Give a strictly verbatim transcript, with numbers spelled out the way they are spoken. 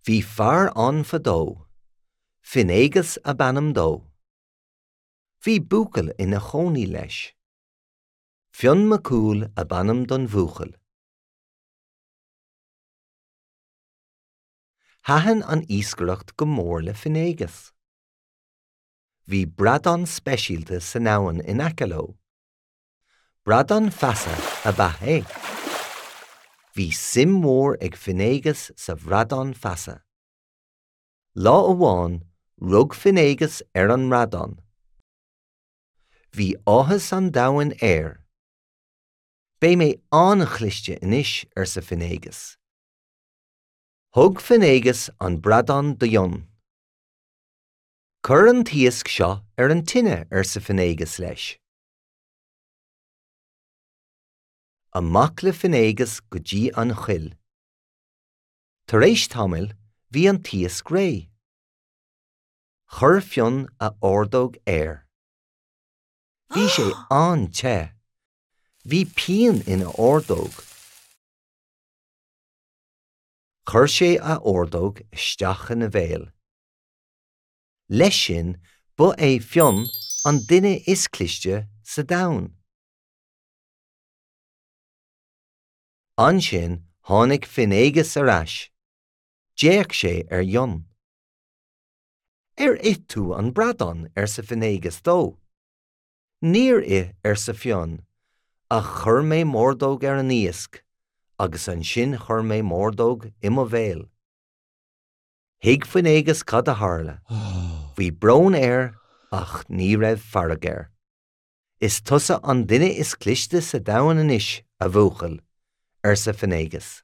Bhí fear ann fadó, Finnéagas ab ainm dó. Bhí buachaill ina chónaí leis. Fionn Mac Cumhaill ab ainm don bhuachaill. Thaitin an iascaireacht go mór le Finnéagas. Bhí bradán speisialta san abhainn in aice leo. Bradán feasa ab ea é. Bhí suim mhór ag Finnéagas sa bhradán feasa. Lá amháin rug Finnéagas ar an mbradán. Bhí áthas an domhain air. Beidh mé an-chliste anois arsa Finnéagas. Thug Finnéagas an bradán do Fhionn. Cuir an t-iasc seo ar an tine arsa Finnéagas leis. Amach le Finnéagas go dtí an choill. Tar éis tamaill bhí an t-iasc réidh. Chuir Fionn a ordóg air. Bhí sé an-te. Bhí pian ina ordóg. Chuir sé a ordóg isteach ina bhéal. Leis sin ba é Fionn an duine is cliste sa domhan. Ansin tháinig Finnéagas ar ais. D'fhéach sé ar Fhionn. Ar ith tú an bradán arsa Finnéagas dó. Níor ith arsa Fionn, ach chuir mé m'ordóg ar an iasc, agus ansin chuir mé m'ordóg i mo bhéal. Thuig Finnéagas cad a tharla. Bhí brón air ach ní raibh fearg air. Is tusa an duine is cliste sa domhan anois a bhuachaill, arsa Finnéagas.